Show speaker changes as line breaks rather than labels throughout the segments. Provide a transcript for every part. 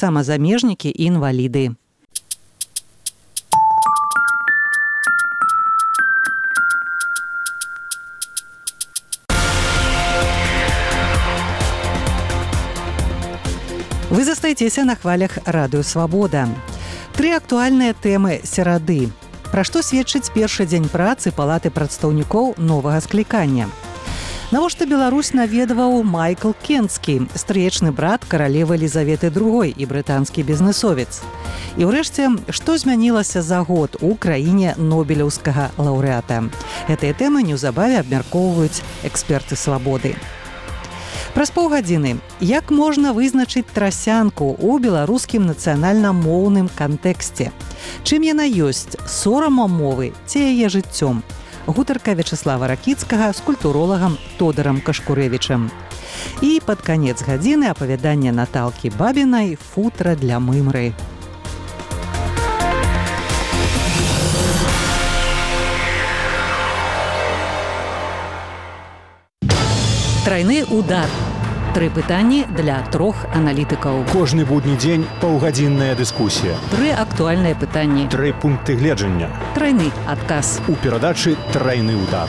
самазамежнікі і інваліды. Вы застаецеся на хвалях Радыё Свабода. 3 актуальныя тэмы серады. Пра што сведчыць першы дзень працы Палаты прадстаўнікоў новага склікання. Навошта Беларусь наведваў Майкл Кенскі, стрыечны брат каралевы Елізаветы II і брытанскі бізнесовец. І ўрэшце, што змянілася за год у краіне нобелеўскага лаўрэата. Гэтыя тэмы неўзабаве абмяркоўваюць эксперты Свабоды. Праз паўгадзіны. Як можна вызначыць трасянку ў беларускім нацыянальна-моўным кантэксце? Чым яна ёсць, сорамам мовы ці яе жыццём? Гутарка Вячаслава Ракіцкага з культуролагам Тодорам Кашкурэвічам. І пад канец гадзіны апавяданне Наталкі Бабінай «Футра для мымры». Трайны удар. 3 пытанні для 3 аналітыкаў.
Кожны будні дзень паўгадзінная дыскусія.
3 актуальныя пытанні.
3 пункты гледжання.
Трайны адказ.
У перадачы «Трайны удар».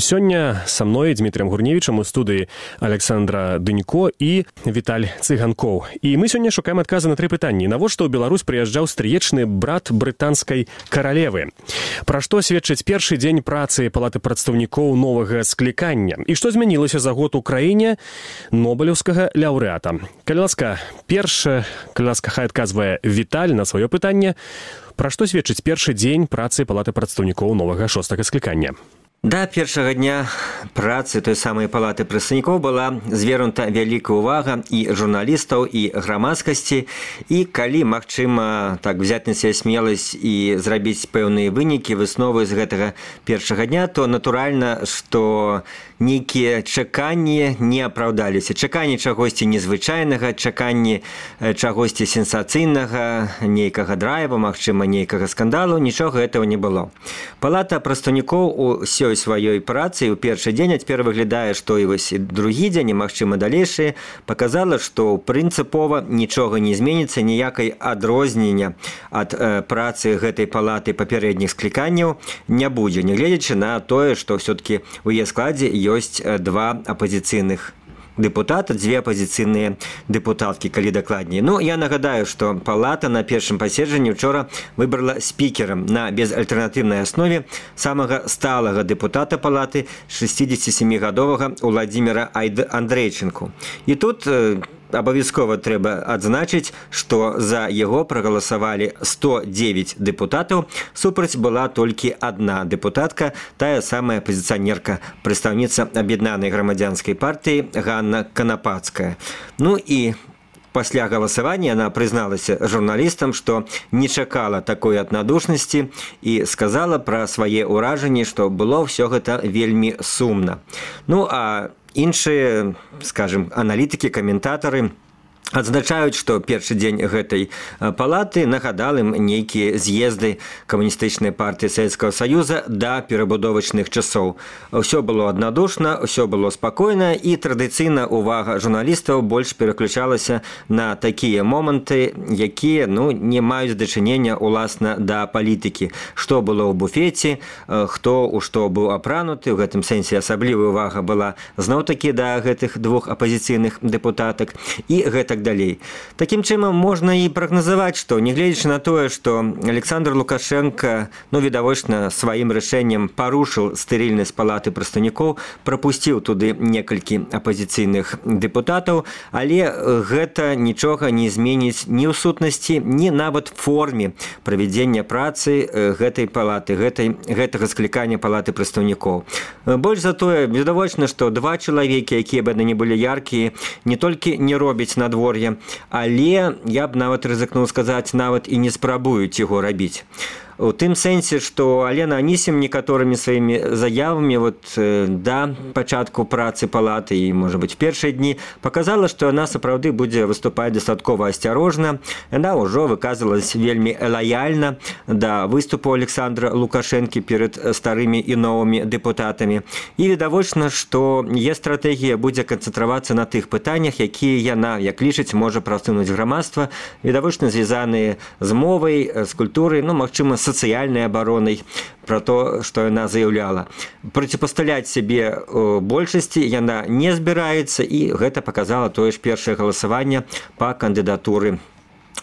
Сёння са мной Дмітрыем Гурневічам у студыі Александра Дынько і Віталь Цыганкоў. І мы сёння шукаем адказы на 3 пытанні. Навошта ў Беларусь прыязджаў стрыечны брат брытанскай каралевы? Пра што сведчыць першы дзень працы Палаты прадстаўнікоў новага склікання? І што змянілася за год у краіне нобелеўскага лаўрэата? Калі ласка, хай адказвае Віталь на сваё пытанне. Пра што сведчыць першы дзень працы Палаты прадстаўнікоў новага 6-га склікання?
Да першага дня працы той самай Палаты прадстаўнікоў была звернута вялікая ўвага і журналістаў, і грамадскасці. І калі магчыма так взяць на сябе смеласць і зрабіць пэўныя вынікі, высновы з гэтага першага дня, то натуральна, што нейкія чаканні не апраўдаліся. Чаканні чагосьці незвычайнага, чаканні чагосьці сенсацыйнага, нейкага драйва, магчыма, нейкага скандалу, нічога гэтага не было. Палата прадстаўнікоў у сваёй працы ў першы дзень, а цяпер выглядае, што і вось другі дзень, і, магчыма, далейшыя, паказала, што прынцыпова нічога не зменіцца, ніякай адрознення ад працы гэтай палаты папярэдніх скліканняў не будзе, нягледзячы на тое, што ўсё-такі ў яе складзе ёсць 2 апазіцыйных депутата, 2 апозіцыйныя депутаткі, калі дакладней. Ну, я нагадаю, што палата на першым паседжанні учора выбрала спікерам на безальтэрнатыўнай аснове самага сталага депутата палаты 67-гадовага Уладзіміра Андрейчынку. І тут абавязкова трэба адзначыць, што за яго прагаласавалі 109 депутатаў, супраць была толькі 1 депутатка, тая самая апазіцыянерка, прадстаўніца Аб'яднанай грамадзянскай партыі Ганна Канапацкая. Ну і пасля галасавання яна прызналася журналістам, што не чакала такой аднадушнасці і сказала пра свае ўражанні, што было ўсё гэта вельмі сумна. Ну, а іншыя, скажем, аналітыкі, каментатары адзначаюць, што першы дзень гэтай палаты нагадал ім нейкія з'езды камуністычнай партыі Савецкага Саюза да перабудовачных часоў. Усё было аднадушна, усё было спакойна, і традыцыйна увага журналістаў больш пераключалася на такія моманты, якія не маюць дачынення уласна да палітыкі. Што было ў буфеце, хто у што быў апрануты, у гэтым сэнсе асаблівая увага была зноў-такі да гэтых 2 апазіцыйных депутатак і гэтак далей. Такім чынам можна і прагназаваць, што нягледзячы на тое, што Александр Лукашенко, відавочна, сваім рашэннем парушыў стэрыльнасць Палаты прадстаўнікоў, прапусціў туды некалькі апазіцыйных депутатаў, але гэта нічога не зменіць ні ў сутнасці, ні нават форме правядзення працы гэтай палаты, гэтага склікання Палаты прадстаўнікоў. Больш за тое, відавочна, што 2 чалавекі, якія б не былі яркія, не толькі не робяць надвор'е, але я б нават рызыкнуў сказаць, нават і не спрабуюць яго рабіць. у тым сэнсе, што Алена Анісім некаторымі сваімі заявамі да пачатку працы палаты і, можа быць, першыя дні паказала, што яна сапраўды будзе выступаць дастаткова асцярожна. Яна ўжо выказвалась вельмі лаяльна да выступу Александра Лукашэнкі перад старымі і новымі дэпутатамі. І відавочна, што яе стратэгія будзе канцэнтравацца на тых пытаннях, якія яна, як лічыць, можа прасунуць грамадства, відавочна звязаныя з мовай, з культурай, магчыма, сацыяльнай абаронай, пра то, што яна заяўляла. Проціпасталяць сябе большасці яна не збіраецца, і гэта паказала тое ж першае галасаванне па кандыдатуры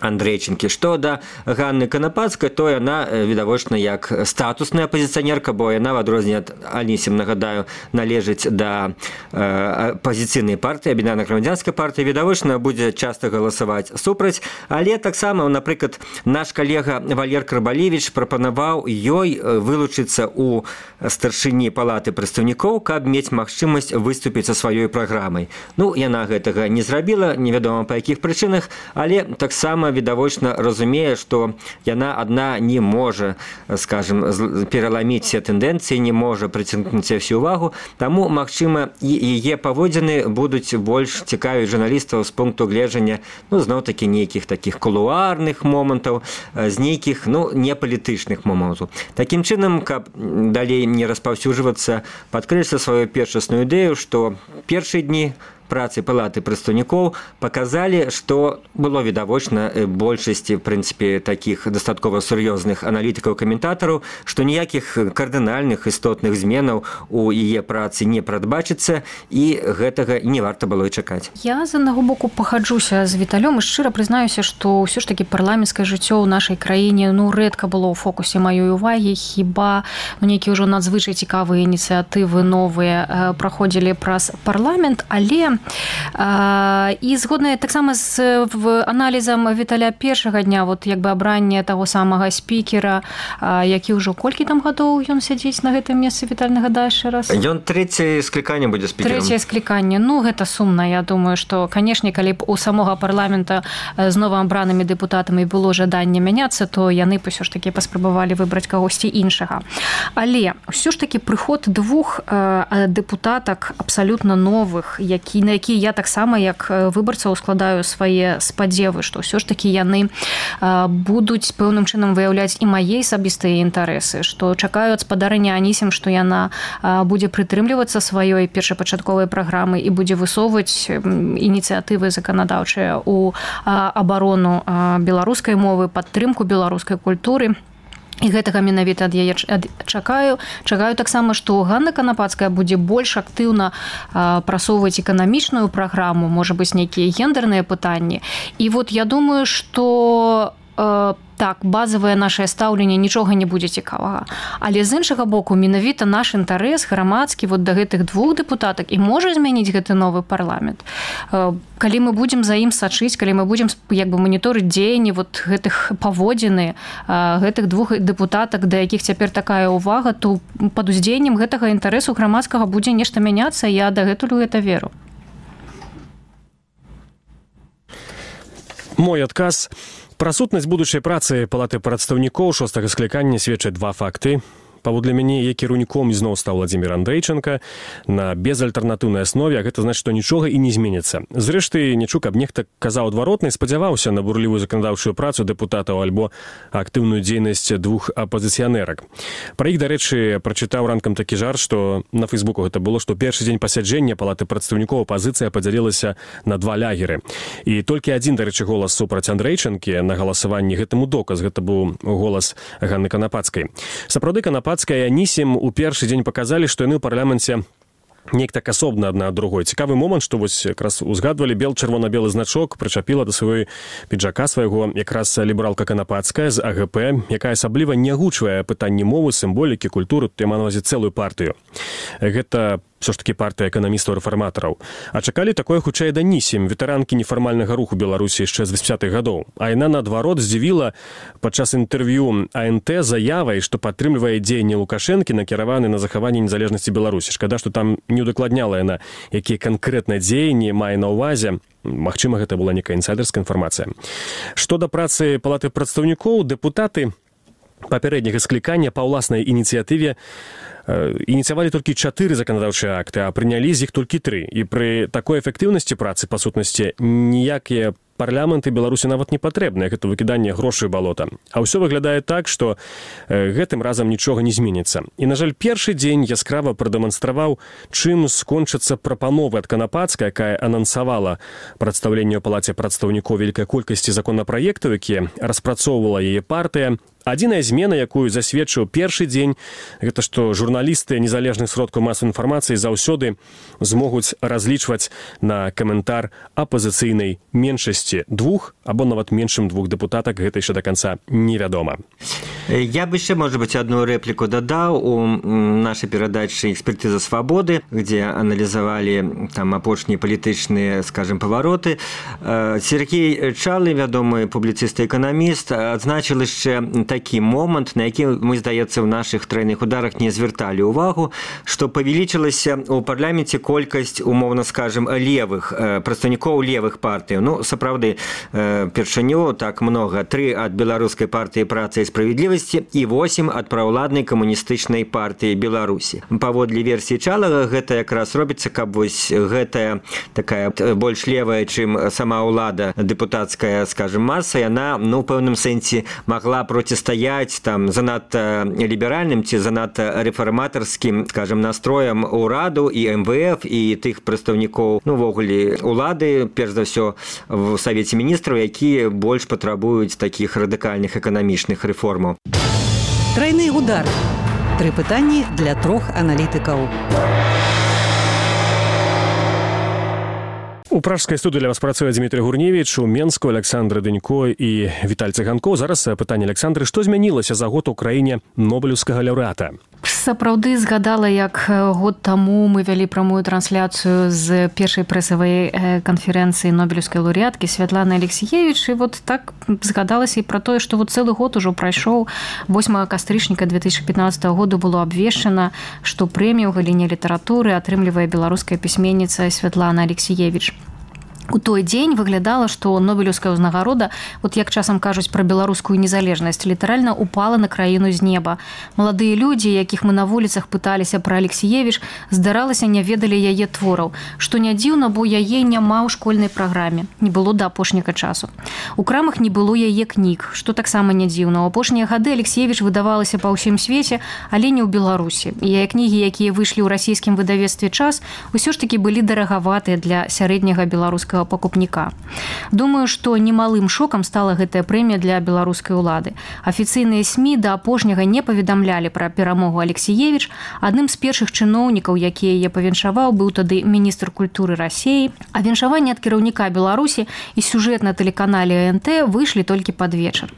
Андрейченкі. Што да Ганны Канапацкай, то яна, відавочна, як статусная апазіцыянерка, бо яна, в адрозненне ад Анісім, нагадаю, належыць да апазіцыйнай партыі, аб'яднанай грамадзянскай партыі, відавочна, будзе часта галасаваць супраць. Але таксама, напрыклад, наш калега Валер Крабалевіч прапанаваў ёй вылучыцца ў старшыні палаты прадстаўнікоў, каб мець магчымасць выступіць са сваёй праграмай. Яна гэтага не зрабіла, невядома па якіх прычынах, але таксама відавочна разумее, што яна адна не можа, скажем, пераламіць все тэндэнцыі, не можа прыцягнуць всю увагу, таму, магчыма, і яе паводзіны будуць больш цікавіць журналістаў з пункту гледжання, зноў-такі нейкіх такіх кулуарных момантаў, з нейкіх, непалітычных момантаў. Такім чынам, каб далей не распаўсюджвацца, падкрэсліць сваю першасную ідэю, што першыя дні працы палаты прадстаўнікоў паказалі, што было відавочна большасці, в прынцыпе, такіх дастаткова сур'ёзных аналітыкаў-каментатараў, што ніякіх кардынальных істотных зменаў у яе працы не прадбачыцца, і гэтага не варта было і чакаць.
Я з аднаго боку пагаджуся з Віталём і шчыра прызнаюся, што ўсё ж такі парламенцкае жыццё ў нашай краіне рэдка было ў фокусе маёй увагі, хіба нейкія ўжо надзвычай цікавыя ініцыятывы новыя праходзілі праз парламент, але і згодна таксама з аналізам Віталя першага дня, абранне таго самага спікера, які ўжо колькі там гадоў ён сядзіць на гэтым месцы, Віталь, нагадаеш раз?
Ён трэцяе скліканне будзе спікерам.
Трэцяе скліканне. Гэта сумна. Я думаю, што, канешне, калі б у самога парламента з новаабранымі дэпутатамі было жаданне мяняцца, то яны б усё ж такі паспрабавалі выбраць кагосьці іншага. Але ўсё ж такі прыход двух дэпутатак абсалютна новых, на якія я таксама як выбарцаў складаю свае спадзевы, што ўсё ж такі яны будуць пэўным чынам выяўляць і мае асабістыя інтарэсы, што чакаю ад спадарыні Анісім, што яна будзе прытрымлівацца сваёй першапачатковай праграмы і будзе высоўваць ініцыятывы заканадаўчыя ў абарону беларускай мовы, падтрымку беларускай культуры. І гэтага менавіта ад яе чакаю. Чакаю таксама, што Ганна Канапацкая будзе больш актыўна прасоўваць эканамічную праграму, можа быць, нейкія гендерныя пытанні. І я думаю, што так, базавае нашае стаўленне нічога не будзе цікавага. Але з іншага боку, менавіта наш інтарэс грамадскі да гэтых двух дэпутатак і можа змяніць гэты новы парламент. Калі мы будзем за ім сачыць, калі мы будзем маніторыць дзеянні гэтых паводзіны гэтых двух дэпутатак, да якіх цяпер такая ўвага, то пад уздзеяннем гэтага інтарэсу грамадскага будзе нешта мяняцца, я дагэтуль гэта веру.
Мой адказ. Пра сутнасць будучай працы палаты прадстаўнікоў 6-га склікання сведчаць два факты. Паводле мяне, яе кіраўніком ізноў стаў Владзімір Андрейченка на безальтэрнатыўнай аснове, а гэта значыць, што нічога і не зменіцца. Зрэшты, не чуў, каб нехта казаў адваротна і спадзяваўся на бурлівую заканадаўчую працу дэпутатаў альбо актыўную дзейнасць двух апазіцыянерак. Пра іх, дарэчы, прачытаў ранкам такі жарт, што на Фейсбуку гэта было, што першы дзень пасяджэння палаты прадстаўнікоў апазіцыя падзялілася на два лягеры. І толькі адзін, дарэчы, голас супраць Андрейченкі на галасаванні гэтаму доказ. Гэта быў голас Ганны Канапацкай. Сапраўды, Канапацкая і Анісім у першы дзень паказалі, што яны ў парламенце неяк так асобна адна ад другой. Цікавы момант, што якраз узгадвалі чырвона-белы значок прычапіла да сваёй піджака свайго якраз лібералка Канапацкая з АГП, якая асабліва не агучвае пытанні мовы, сімволікі, культуры, тут я маю на ўвазе цэлую партыю. Гэта все ж таки партыя эканамістаў-рэфарматараў. А чакалі такое хутчэй ад Анісім, ветэранкі нефармальнага руху Беларусі яшчэ з 80-х гадоў. А яна, наадварот, здзівіла падчас інтэрв'ю АНТ заявай, што падтрымлівае дзеянні Лукашэнкі, накіраваны на захаванне незалежнасці Беларусі. Шкада, што там не удакладняла яна, якія канкрэтна дзеянні мае на ўвазе. Магчыма, гэта была некая інсайдерская інфармацыя. Што да працы палаты прадстаўнікоў, дэпутаты папярэдняга склікання па ўласнай ініцыятыве ініцыявалі толькі 4 заканадаўчыя акты, а прынялі з іх толькі 3. І пры такой эфектыўнасці працы, па сутнасці, ніякія парламенты Беларусі нават не патрэбныя, гэта выкіданне грошай у балота. А ўсё выглядае так, што гэтым разам нічога не зменіцца. І, на жаль, першы дзень яскрава прадэманстраваў, чым скончыцца прапановы ад Канапацкай, якая анансавала прадстаўленне ў палаце прадстаўнікоў вялікай колькасці законапраектаў, якія распрацоўвала яе партыя. Адзіная змена, якую засведчыў першы дзень, гэта што журналісты незалежных сродкаў масавай інфармацыі заўсёды змогуць разлічваць на каментар апазіцыйнай меншасці 2 або нават меншым 2 дэпутатак, гэта яшчэ да канца невядома.
Я бы еще, может быть, одну реплику додал у нашей передачи «Экспертиза свободы», где анализовали там апошние политичные, скажем, повороты. Сергей Чалы, вядомый публицист и экономист, отзначил еще такий момент, на який мы, здаецца, в наших тройных ударах не звертали увагу, что павялічылась у парламенте колькасць, умовно скажем, левых, прадстаўнікоў левых партый. Ну, сапраўды, першыню так много. 3 от Белорусской партии «Праца и справедливость» и 8 ад праўладнай камуністычнай партыі Беларусі. Паводле версіі Чалага гэта якраз робіцца, каб вось гэтая такая больш левая, чым сама ўлада дэпутацкая, скажем, маса, яна, ну, у пэўным сэнсе магла процістаяць там занадта ліберальным ці занадта рэфарматарскім, скажем, настроям ураду і МВФ і тых прадстаўнікоў, ну, увогуле улады, перш за ўсё в Савеце міністраў, якія больш патрабуюць такіх радыкальных эканамічных рэформаў.
Тройны удар. 3 пытанні для 3 аналітыкаў.
У пражскай студыі для вас працуе Дмітрий Гурневіч, у Менску Александра Дынько і Віталь Цыганкоў. Зараз пытанне Александры: што змянілася за год у краіне нобелеўскага лаўрэата?
Сапраўды згадала, як год таму мы вялі прамую трансляцыю з першай прэсавай канферэнцыі нобелеўскай лаўрэаткі Святланы Алексіевіч, і вот так згадалася і пра тое, што вот цэлы год ужо прайшоў. 8 кастрычніка 2015 году было абвешчана, што прэмію ў галіне літаратуры атрымлівае беларуская пісьменніца Святлана Алексіевіч. У той дзень выглядала, што нобелеўская ўзнагарода, вот як часам кажуць пра беларускую незалежнасць, літаральна упала на краіну з неба. Маладыя людзі, якіх мы на вуліцах пыталіся пра Алексіевіч, здаралася, не ведалі яе твораў, што не дзіўна, бо яе няма ў школьнай праграме, не было да апошняга часу. У крамах не было яе кніг, што таксама не дзіўна. У апошнія гады Алексіевіч выдавалася па ўсім свеце, але не ў Беларусі. І яе кнігі, якія выйшлі ў расійскім выдавецтве «Час», усё ж такі былі дарагаватыя для сярэдняга беларускага пакупніка. Думаю, што немалым шокам стала гэтая прэмія для беларускай улады. Афіцыйныя СМІ да апошняга не паведамлялі пра перамогу Алексіевіч. Адным з першых чыноўнікаў, які яе павіншаваў, быў тады міністр культуры Расіі. А віншаванне ад кіраўніка Беларусі і сюжэт на тэлеканале НТ выйшлі толькі пад вечар.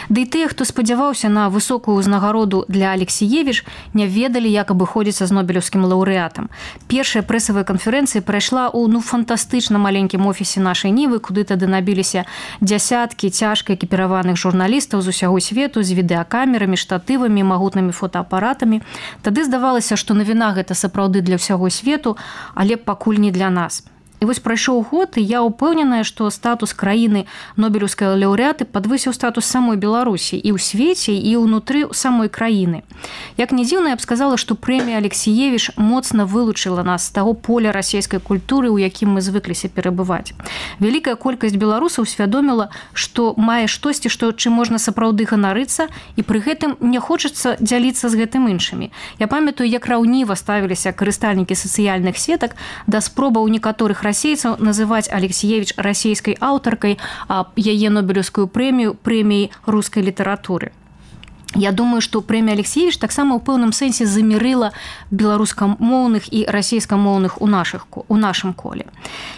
Ды і тыя, хто спадзяваўся на высокую ўзнагароду для Алексіевіч, не ведалі, як абыходзіцца з нобелеўскім лаўрэатам. Першая прэсавая канферэнцыя прайшла ў фантастычна маленькім офісе нашай Нівы, куды тады набіліся дзясяткі цяжка экіпіраваных журналістаў з усяго свету з відэакамерамі, штатывамі, магутнымі фотоапаратамі. Тады здавалася, што навіна гэта сапраўды для ўсяго свету, але пакуль не для нас. І вось прайшоў год, і я ўпэўненая, што статус краіны нобелеўскай лаўрэаты падвысіў статус самой Беларусі і ў свеце, і ўнутры самой краіны. Як не дзіўна, я б сказала, што прэмія Алексіевіч моцна вылучыла нас з таго поля расійскай культуры, у якім мы звыкліся перабываць. Вялікая колькасць беларусаў усвядоміла, што мае штосьці, чым можна сапраўды ганарыцца, і пры гэтым не хочацца дзяліцца з гэтым іншымі. Я памятаю, як раўніва ставіліся карыстальнікі сацыяльных сетак да спробаў некаторых расейцаў называць Алексіевіч расійскай аўтаркай, а яе нобелеўскую прэмію прэміяй рускай літаратуры. Я думаю, што прэмія Алексіевіч таксама ў пэўным сэнсе замірыла беларускамоўных і расійскамоўных у нашым коле.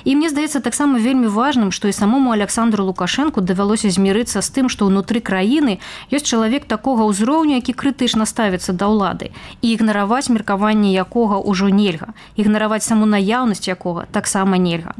І мне здаецца таксама вельмі важным, што і самому Александру Лукашэнку давялося змірыцца з тым, што ўнутры краіны ёсць чалавек такога ўзроўню, які крытычна ставіцца да ўлады, і ігнараваць меркаванне якога ўжо нельга, ігнараваць саму наяўнасць якога таксама нельга.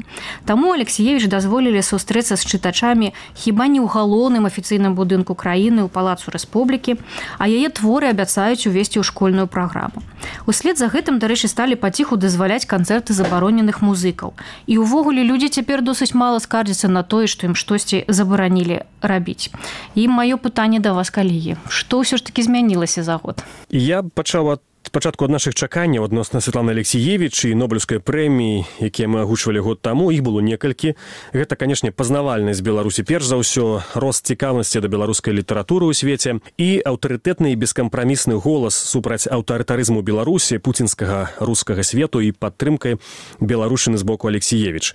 Таму Алексіевіч дазволілі сустрэцца з чытачамі хіба не ў галоўным афіцыйным будынку краіны, у палацу Рэспублікі. а яе творы абяцаюць увесці ў школьную праграму. Услед за гэтым, дарэчы, сталі паціху дазваляць канцэрты забароненых музыкаў. І ўвогуле людзі цяпер досыць мала скардзяцца на тое, што ім штосьці забаранілі рабіць. І маё пытанне да вас, калегі, што ўсё ж такі змянілася за год?
Я пачаў спачатку ад нашых чаканняў адносна Святланы Алексіевіч і Нобелеўскай прэміі, якія мы агучвалі год таму, іх было некалькі. Гэта, канешне, пазнавальнасць Беларусі перш за ўсё, рост цікаўнасці да беларускай літаратуры ў свеце і аўтарытэтны і бескампрамісны голас супраць аўтарытарызму Беларусі, пуцінскага рускага свету і падтрымкай беларушчыны з боку Алексіевіч.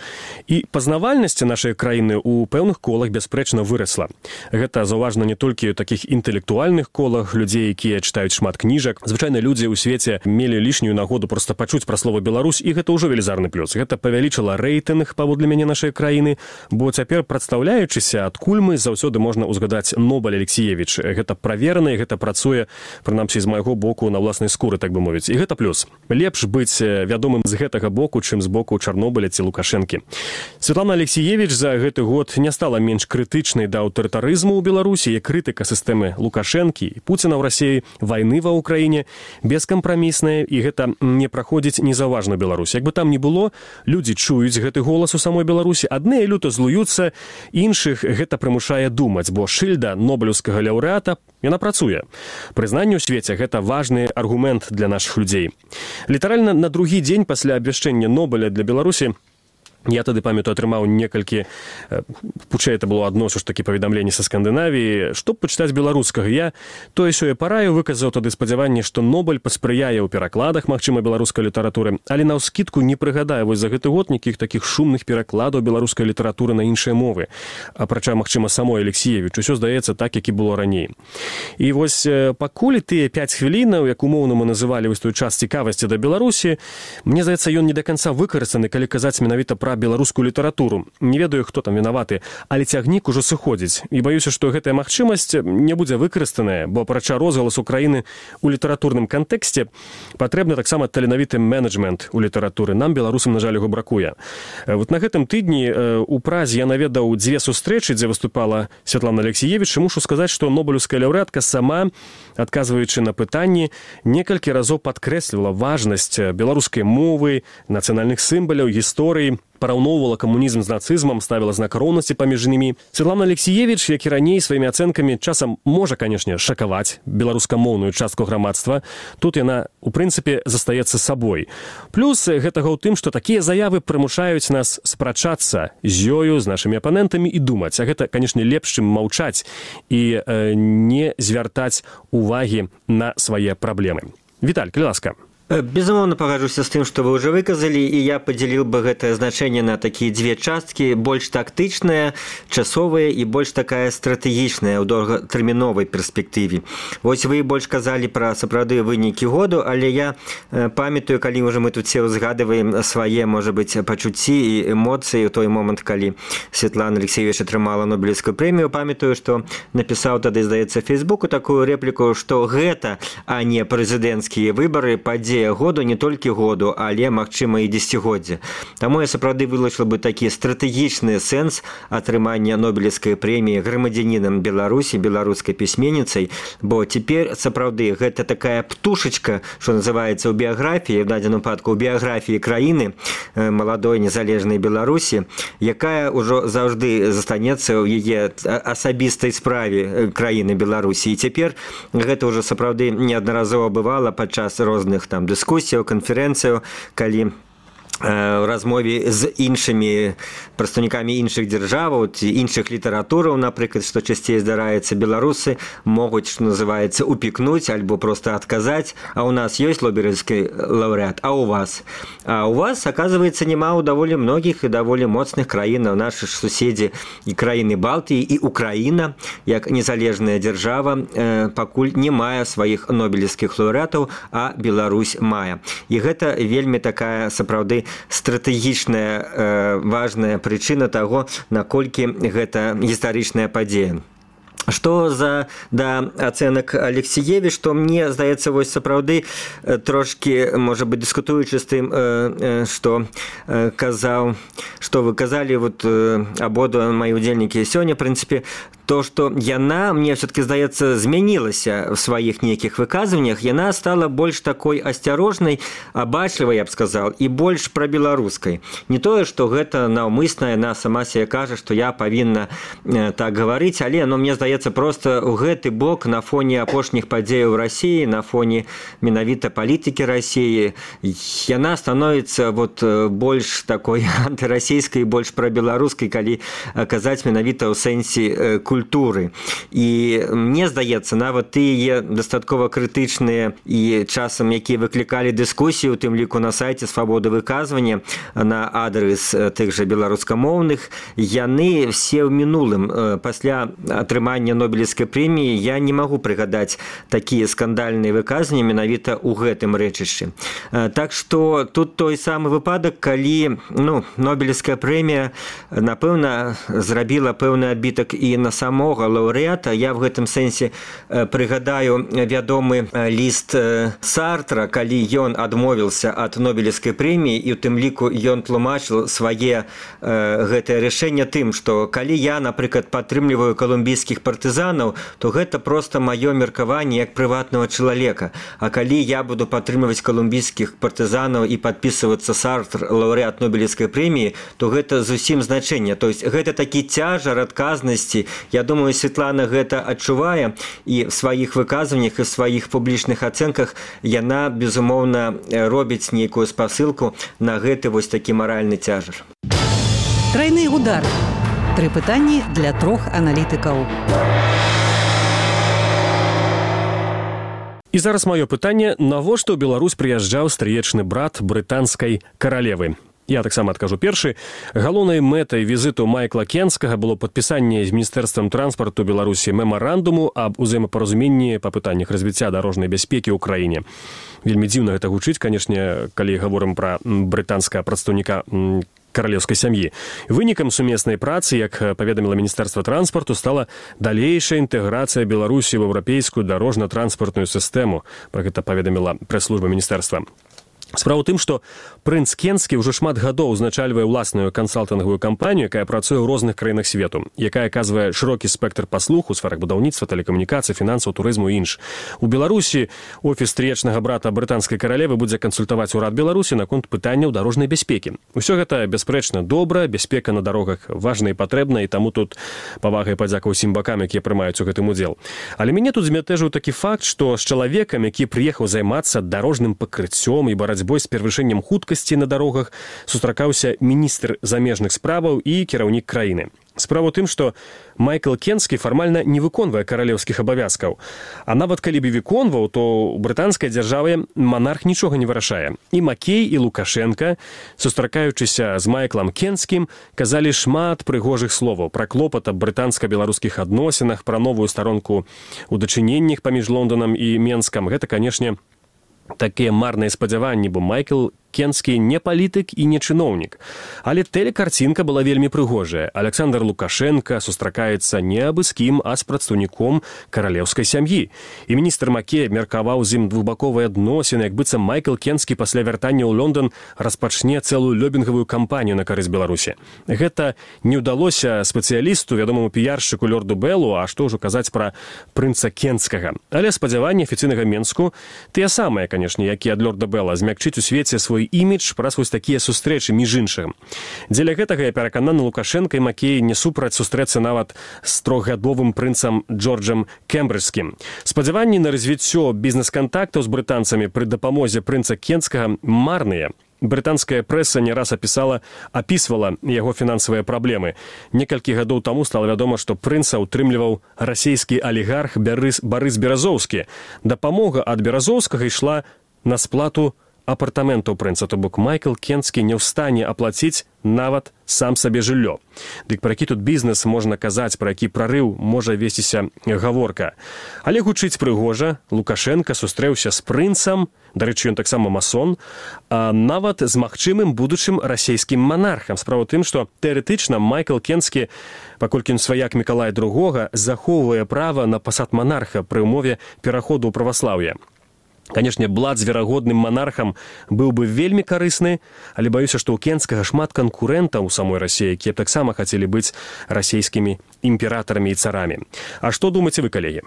І пазнавальнасць нашай краіны ў пэўных колах бясспрэчна вырасла. Гэта заўважна не толькі ў такіх інтэлектуальных колах, людзей, якія чытаюць шмат кніжак. Звычайна людзі ў свеце мелі лішнюю нагоду проста пачуць пра слова Беларусь, і гэта ўжо велізарны плюс. Гэта павялічыла рэйтынг, паводле мяне, нашай краіны, бо цяпер, прадстаўляючыся, адкуль мы, заўсёды можна ўзгадаць Нобель Алексіевіч. Гэта праверана, і гэта працуе, прынамсі, з майго боку на ўласнай скуры, так бы мовіць. І гэта плюс. Лепш быць вядомым з гэтага боку, чым з боку Чарнобыля ці Лукашэнкі. Святлана Алексіевіч за гэты год не стала менш крытычнай да аўтарытарызму ў Беларусі, і крытыка сістэмы Лукашэнкі і Пуціна ў Расіі, вайны ва ўкраіне, бескампрамісная, і гэта не праходзіць незаўважна Беларусь. Як бы там ні было, людзі чуюць гэты голас у самой Беларусі, адныя люта злуюцца, іншых гэта прымушае думаць, бо шыльда нобелеўскага лаўрэата, яна працуе. Прызнанне ў свеце – гэта важны аргумент для нашых людзей. Літаральна на другі дзень пасля абвяшчэння Нобеля для Беларусі я тады, памятаю, атрымаў некалькі, хутчэй это было адно ж такі паведамленне са Скандынавіі, што б пачытаць беларускага. Я тое-сёе параю выказаў тады спадзяванне, што Нобель паспрыяе ў перакладах, магчыма, беларускай літаратуры, але наўскідку не прыгадаю вось за гэты год нейкіх такіх шумных перакладаў беларускай літаратуры на іншыя мовы. Апрача, магчыма, самой Алексіевіч, усё здаецца так, як і было раней. І вось пакуль тыя 5 хвілінаў, як умоўна мы называлі вось той час цікавасці да Беларусі, мне здаецца, ён не да канца выкарыстаны, калі казаць менавіта пра беларускую літаратуру. Не ведаю, хто там вінаваты, але цягнік ужо сыходзіць. І баюся, што гэтая магчымасць не будзе выкарыстаная, бо апрача розгаласу краіны ў літаратурным кантэксце патрэбны таксама таленавіты менеджмент у літаратуры. Нам, беларусам, на жаль, яго бракуе. Вот на гэтым тыдні у Празе я наведаў 2 сустрэчы, дзе выступала Святлана Алексіевіч, і мушу сказаць, што нобелеўская лаўрэатка сама, адказваючы на пытанні, некалькі разоў падкрэслівала важнасць беларускай мовы, нацыянальных сімваляў, гісторыі, параўноўвала камунізм з нацызмам, ставіла знак роўнасці паміж імі. Святлана Алексіевіч, як і раней, сваімі ацэнкамі часам можа, канешне, шакаваць беларускамоўную частку грамадства. Тут яна, у прынцыпе, застаецца сабой. Плюс гэтага ў тым, што такія заявы прымушаюць нас спрачацца з ёю, з нашымі апанентамі і думаць. А гэта, канешне, лепш, чым маўчаць і не звяртаць увагі на свае праблемы. Віталь, калі ласка.
Безумоўна, пагаджуся з тым, што вы ўжо выказалі, і я падзяліў бы гэтае значэнне на такія 2 часткі, больш тактычныя, часовыя і больш такая стратэгічная ў доўгатэрміновай перспектыве. Вось вы больш казалі пра сапраўды вынікі году, але я памятаю, калі ўжо мы тут все ўзгадываем свае, можа быць, пачуцці і эмоцыі ў той момант, калі Святлана Алексіевіч атрымала Нобелеўскую прэмію, памятаю, што напісаў тады, здаецца, Фейсбуку такую рэпліку, што гэта, а не прэзідэнцкія выбары, падзея году, не толькі году, але, магчыма, і дзесяцігоддзя. Таму я сапраўды вылучыла бы такі стратэгічны сэнс атрымання Нобелеўскай прэміі грамадзянінам Беларусі, беларускай пісьменніцай, бо цяпер сапраўды гэта такая птушачка, што называецца ў біяграфіі, в дадзеным выпадку ў біяграфіі краіны, маладой незалежнай Беларусі, якая ўжо заўжды застанецца ў яе асабістай справе краіны Беларусі. І цяпер гэта ўжо сапраўды неаднаразова бывала падчас розных там дыскусіяў, канферэнцыяў, калі в размове з іншымі прадстаўнікамі іншых дзяржаваў ці іншых літаратураў, напрыклад, што часцей здараецца, беларусы могуць, што называецца, упікнуць альбо проста адказаць, а ў нас ёсць Нобелеўскі лаўрэат, а ў вас? А ў вас, аказваецца, няма ў даволі многіх і даволі моцных краінаў, нашы ж суседзі і краіны Балтыі, і Украіна, як незалежная дзяржава, пакуль не мае сваіх нобелеўскіх лаўрэатаў, а Беларусь мае. І гэта вельмі такая, сапраўды, стратэгічная важная прычына таго, наколькі гэта гістарычная падзея. Што да ацэнак Алексіевіч, што мне здаецца, вось сапраўды трошкі, можа быць, дыскутуючы з тым, што казаў, што вы казалі, вот абодва мои удзельнікі сёння, в прынцыпе, то што яна, мне все-таки здаецца, змянілася в сваіх нейкіх выказваннях, яна стала больш такой асцярожнай, абачлівай, я б сказал, і больш прабеларускай. Не тое, што гэта наўмысна, яна сама себе кажа, што я павінна так гаварыць, але мне здаецца, просто ў гэты бок на фоне апошніх падзеяў в России, на фоне менавіта палітыкі России, яна становіцца больш такой антырасійскай, больш прабеларускай, калі казаць менавіта ў сэнсе культуры. І мне здаецца, нават тыя дастаткова крытычныя і часам, якія выклікалі дыскусію, у тым ліку на сайце «Свабода выказвання» на адрес тых жа беларускамоўных, яны все ў мінулым. Пасля атрымання Нобелевскай прэміі я не магу прыгадаць такія скандальныя выказванні менавіта ў гэтым рэчышчы. Так што тут той самы выпадак, калі Нобелевская прэмія, напэўна, зрабіла пэўны адбітак і на самога лаўрэата. Я в гэтым сэнсе прыгадаю вядомы ліст Сартра, калі ён адмовіўся ад Нобелевскай прэміі, і ў тым ліку ён тлумачыў свае гэтае рашэнне тым, што калі я, напрыклад, падтрымліваю калумбійскіх партызанаў, то гэта проста маё меркаванне як прыватнага чалавека. А калі я буду падтрымліваць калумбійскіх партызанаў і падпісвацца Сартр, лаўрэат Нобелевскай прэміі, то гэта зусім значэнне. То есть гэта такі цяжар адказнасці. Я думаю, Светлана гэта адчувае, і в сваіх выказваннях і в сваіх публічных ацэнках яна, безумоўна, робіць нейкую спасылку на гэты такі маральны цяжар.
Трайны удар. 3 пытанні для 3 аналітыкаў.
І зараз маё пытанне: навошта ў Беларусь прыязджаў стрыечны брат брытанскай каралевы? Я таксама адкажу першы. Галоўнай мэтай візіту Майкла Кенскага было падпісанне з Міністэрствам транспарту Беларусі мемарандуму аб узаемапаразуменні па пытаннях развіцця дарожнай бяспекі ў краіне. Вельмі дзіўна гэта гучыць, канешне, калі гаворым пра брытанскага прадстаўніка каралеўскай сям'і. Вынікам сумеснай працы, як паведаміла Міністэрства транспарту, стала далейшая інтэграцыя Беларусі ў еўрапейскую дарожна-транспартную сістэму. Пра гэта паведаміла прэс-служба міністэрства. Справа ў тым, што прынц Кенскі ўжо шмат гадоў узначальвае ўласную кансалтынгавую кампанію, якая працуе ў розных краінах свету, якая аказвае шырокі спектр паслуг у сферах будаўніцтва, тэлекамунікацый, фінансаў, турызму і інш. У Беларусі офіс стрыечнага брата брытанскай каралевы будзе кансультаваць урад Беларусі наконт пытанняў дарожнай бяспекі. Усё гэта бясспрэчна добра, бяспека на дарогах важна і патрэбна, і таму тут павага і падзяка ўсім бакам, якія прымаюць у гэтым удзел. Але мяне тут змятэжыў такі факт, што з чалавекам, які прыехаў займацца дарожным пакрыццём і барацьбой з перавышэннем хуткасці на дарогах, сустракаўся міністр замежных справаў і кіраўнік краіны. Справа ў тым, што Майкл Кенскі фармальна не выконвае каралеўскіх абавязкаў. А нават калі б выконваў, то ў брытанскай дзяржаве монарх нічога не вырашае. І Макей, і Лукашенка, сустракаючыся з Майклам Кенскім, казалі шмат прыгожых словаў пра клопат аб брытанска-беларускіх адносінах, пра новую старонку ў дачыненнях паміж Лонданам і Менскам. Гэта, канешне, такія марныя спадзяванні, бо Майкл Кенскі не палітык і не чыноўнік. Але тэлекарцінка была вельмі прыгожая. Александр Лукашенка сустракаецца не абы з кім, а з прадстаўніком каралеўскай сям'і. І міністр Макей абмеркаваў з ім двухбаковыя адносіны, як быццам Майкл Кенскі пасля вяртання ў Лондон распачне цэлую лёбінгавую кампанію на карысць Беларусі. Гэта не ўдалося спецыялісту, вядомаму піяршчыку лорду Беллу, а што ўжо казаць пра прынца Кенскага. Але спадзяванні афіцыйнага Менску тыя самыя, канешне, які ад лорда Белла, змякчыць у свеце свой імідж праз вось такія сустрэчы між іншым. Дзеля гэтага я перакананы, Лукашенка і Макей не супраць сустрэцца нават з трохгадовым прынцам Джорджам Кембриджскім. Спадзяванні на развіццё бізнес-кантактаў з брытанцамі пры дапамозе прынца Кенскага марныя. Брытанская прэса не раз апісвала яго фінансавыя праблемы. Некалькі гадоў таму стала вядома, што прынца ўтрымліваў расійскі алігарх Барыс Беразоўскі. Дапамога ад Беразоўскага ішла на сплату апартаментаў прынца, то бок Майкл Кенскі не ў стане аплаціць нават сам сабе жыллё. Дык пра які тут бізнес можна казаць, пра які прарыў можа весціся гаворка. Але гучыць прыгожа, Лукашенка сустрэўся з прынцам, дарэчы, ён таксама масон, а нават з магчымым будучым расійскім манархам. Справа ў тым, што тэарэтычна Майкл Кенскі, паколькі ён сваяк Мікалая II, захоўвае права на пасад манарха пры ўмове пераходу ў праваслаўе. Канешне, блат з верагодным манархам быў бы вельмі карысны, але баюся, што ў Кенскага шмат канкурэнтаў у самой Расіі, якія таксама хацелі быць расійскімі імператарамі і царамі. А што думаеце вы, калегі?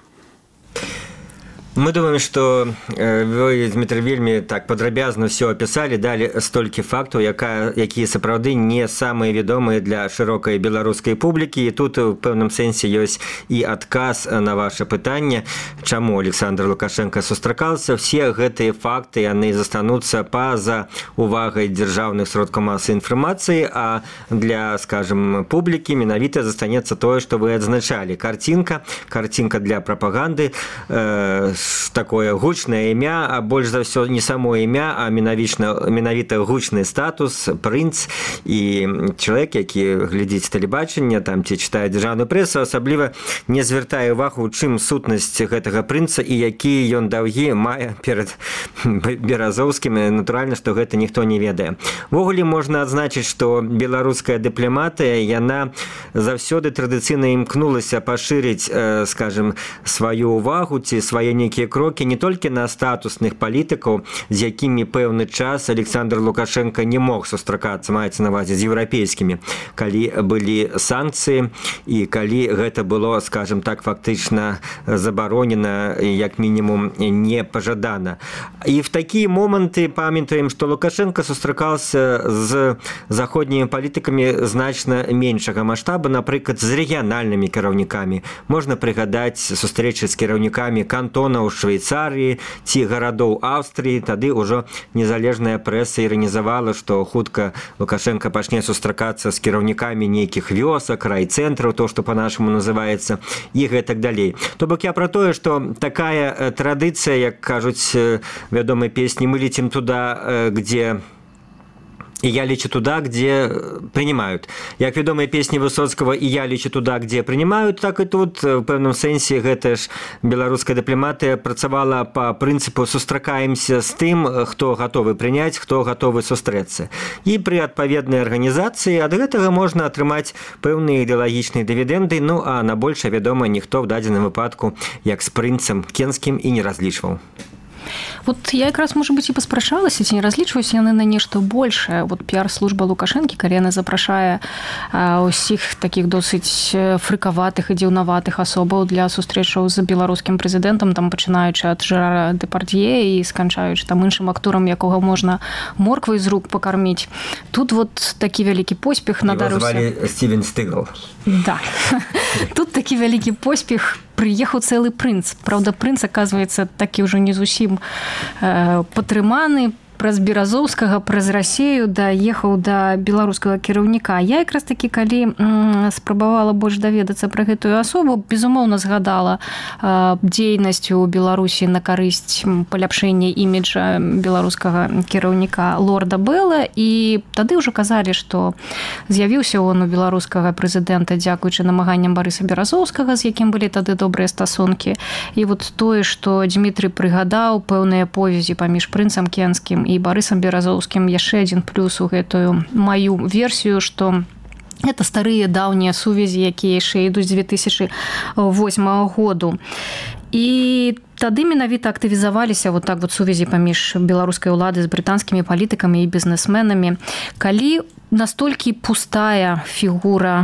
Мы думаем, что вы, Дмитрий, вельмі так падрабязна все описали, дали столькі фактаў, якія сапраўды не самыя вядомыя для шырокай беларускай публікі. І тут у пэўным сэнсе ёсць і адказ на ваше пытанне, чаму Александр Лукашенко сустракаўся. Все гэтыя факты, яны застануцца па-за увагай дзяржаўных сродкаў масавай інфармацыі, а для, скажем, публікі менавіта застанецца тое, што вы адзначалі. Картинка для прапаганды, такое гучнае імя, а больш за ўсё не само імя, а менавіта гучны статус, прынц і чалавек, які глядзіць тэлебачанне там ці чытае дзяржаўную прэсу, асабліва не звяртае ўвагу, у чым сутнасць гэтага прынца і які ён даўгі мае перад Беразоўскім. Натуральна, што гэта ніхто не ведае. Увогуле можна адзначыць, што беларуская дыпламатыя, яна заўсёды традыцыйна імкнулася пашырыць, скажем, сваю ўвагу ці свае нейкія крокі не толькі на статусных палітыкаў, з якімі пэўны час Александр Лукашенко не мог сустракацца, маецца на ўвазе, з еўрапейскімі, калі былі санкцыі і калі гэта было, скажем так, фактычна забаронена, як мінімум не пажадана. І в такія моманты памятаем, што Лукашенко сустракаўся з заходнімі палітыкамі значна меншага маштабу, напрыклад, з рэгіянальнымі кіраўнікамі. Можна прыгадаць сустрэчы з кіраўнікамі кантонаў Швейцарыі ці гарадоў Аўстрыі. Тады ўжо незалежная прэса іранізавала, што хутка Лукашенко пачне сустракацца з кіраўнікамі нейкіх вёсак, райцэнтраў, то, што па-нашаму называецца, і гэтак далей. То бок я пра тое, што такая традыцыя, як кажуць вядомай песні, мы летим туда, где... И я лечу туда, где принимают. Як вядомыя песні Высоцкага «И я лечу туда, где принимают», так и тут, в пэўным сэнсе, гэта ж беларуская дыпламатыя працавала па прынцыпу «сустракаемся з тым, хто гатовы прыняць, хто гатовы сустрэцца». І пры адпаведнай арганізацыі ад гэтага можна атрымаць пэўныя ідэалагічныя дывідэнды, ну а на большае, вядома, ніхто в дадзеным выпадку, як з прынцам Кенскім, і не разлічваў.
Вот я якраз, может быть, и паспрачалася, ці не разлічваюся яны на нешта большае. Вот піар-служба Лукашэнкі, калі яна запрашае ўсіх такіх досыць фрыкаватых і дзіўнаватых асобаў для сустрэчаў з беларускім прэзідэнтам, там пачынаючы ад Жерара Дэпардье і сканчаючы там іншым акторам, якога можна морквай з рук пакарміць. Тут вот такі вялікі поспех надарыўся.
Его звалі Стівен Стыгл.
Да. Тут такі вялікі поспех. Прыехаў цэлы прынц. Праўда, прынц, аказваецца, такі ўжо не зусім патрыманы. Праз Беразоўскага, праз Расею даехаў да беларускага кіраўніка. Я якраз такі, калі спрабавала больш даведацца пра гэтую асобу, безумоўна згадала дзейнасць у Беларусі на карысць паляпшэння іміджа беларускага кіраўніка лорда Белла, і тады ўжо казалі, што з'явіўся он у беларускага прэзідэнта дзякуючы намаганням Барыса Беразоўскага, з якім былі тады добрыя стасункі. І вот тое, што Дмітрый прыгадаў пэўныя повязі паміж прынцам Кенскім і Барысам Беразоўскім, яшчэ адзін плюс у гэтую маю версію, што это старыя даўнія сувязі, якія яшчэ ідуць з 2008 году. І тады менавіта актывізаваліся вот так вот сувязі паміж беларускай улады з брытанскімі палітыкамі і бізнесменамі. Калі настолькі пустая фігура,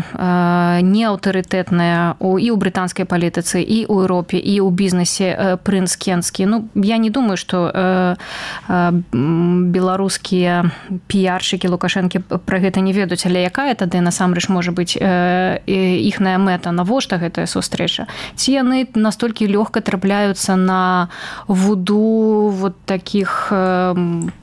неаўтарытэтная і ў брытанскай палітыцы, і ў Еўропе, і ў бізнесе прынц Кенскі. Ну, я не думаю, што беларускія піяршыкі Лукашэнкі пра гэта не ведаюць, але якая тады насамрэч можа быць іхная мэта, навошта гэтая сустрэча? Ці яны настолькі лёгка трапляюцца на вуду вот такіх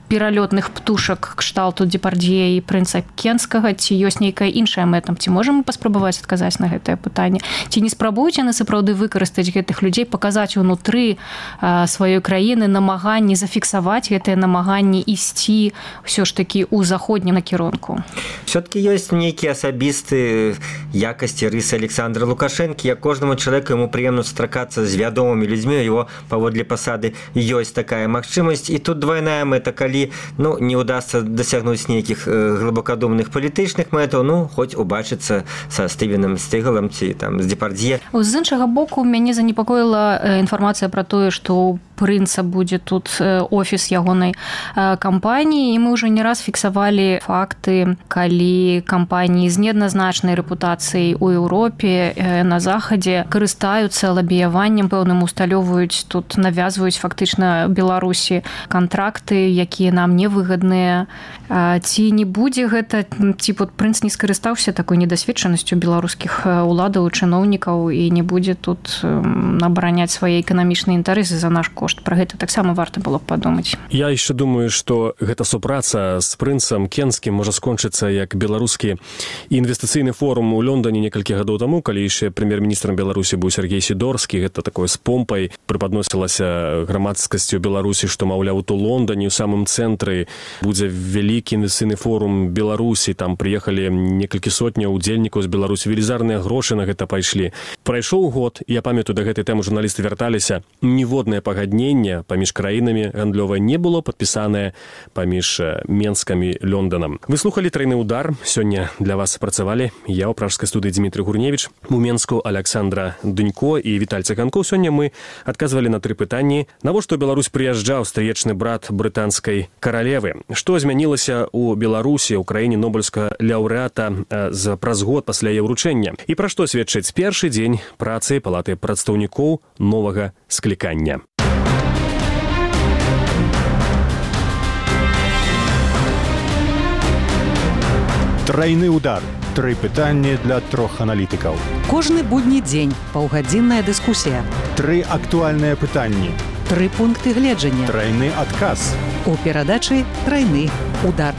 пералётных птушак кшталту Дэпардье і прынца Кенскага, ці ёсць нейкая іншая мэта? Ці можам мы паспрабаваць адказаць на гэтае пытанне? Ці не спрабуюць яны сапраўды выкарыстаць гэтых людзей, паказаць унутры сваёй краіны намаганні, зафіксаваць гэтыя намаганні ісці ўсё ж такі ў заходнім накірунку?
Все-таки ёсць нейкія асабістыя якасці, рысы Александра Лукашэнкі. Як кожнаму чалавеку яму прыемна сустракацца з вядомымі людзьмі, его паводле пасады ёсць такая магчымасць. І тут двойная мэта, калі не удастся дасягнуць нейкіх глыбакадумных палітычных мэтаў, хоць убачыцца са Стывеном Стыгалам ці там з Дэпардье.
З іншага боку, мяне занепакоіла інфармацыя пра тое, што прынца будзе тут офіс ягонай кампаніі, і мы ўжо не раз фіксавалі факты, калі кампаніі з неадназначнай рэпутацыяй у Еўропе, на захадзе карыстаюцца лабіяваннем пэўным, усталёваюць тут, навязваюць фактычна Беларусі кантракты, якія нам невыгадныя. Ці не будзе гэта, ці прынц не скарыстаўся такой недасведчанасцю беларускіх уладаў, чыноўнікаў і не будзе тут абараняць свае эканамічныя інтарэсы за наш кошт. Пра гэта таксама варта было б падумаць.
Я яшчэ думаю, што гэта супраца з прынцам Кенскім можа скончыцца як беларускі інвестыцыйны форум у Лондоне некалькі гадоў таму, калі яшчэ прэм'ер-міністрам Беларусі быў Сергей Сідорскі. Гэта такое з помпай препадносілася грамадскасцю Беларусі, што, маўляў, у Лондоне, у самым цэнтры будзе вялікі інвестыцыйны форум Беларусі. Там прыехалі некалькі сотняў удзельнікаў з Беларусі. Велізарныя грошы на гэта пайшлі. Прайшоў год, я памятаю, да гэтай тэмы журналісты вярталіся. Ніводнае пагадненне паміж краінамі гандлёвае не было падпісанае паміж Менскам і Лондонам. Вы слухалі «Трайны удар». Сёння для вас працавалі я ў пражскай студыі Дмітрый Гурневіч, у Менску Александра Дунько і Віталь Цыганкоў. Сёння мы адказвалі на 3 пытанні. Навошта ў Беларусь прыязджаў стрыечны брат брытанскай каралевы? Што змянілася ў Беларусі, ў краіне нобелевскага лаўрэата праз год пасля яе ўручэння? І пра што сведчыць першы дзень працы палаты прадстаўнікоў новага склікання?
Трайны удар. 3 пытанні для 3 аналітыкаў.
Кожны будні дзень паўгадзінная дыскусія.
3 актуальныя пытанні.
3 пункты гледжання.
Трайны адказ.
У перадачы «Трайны удар».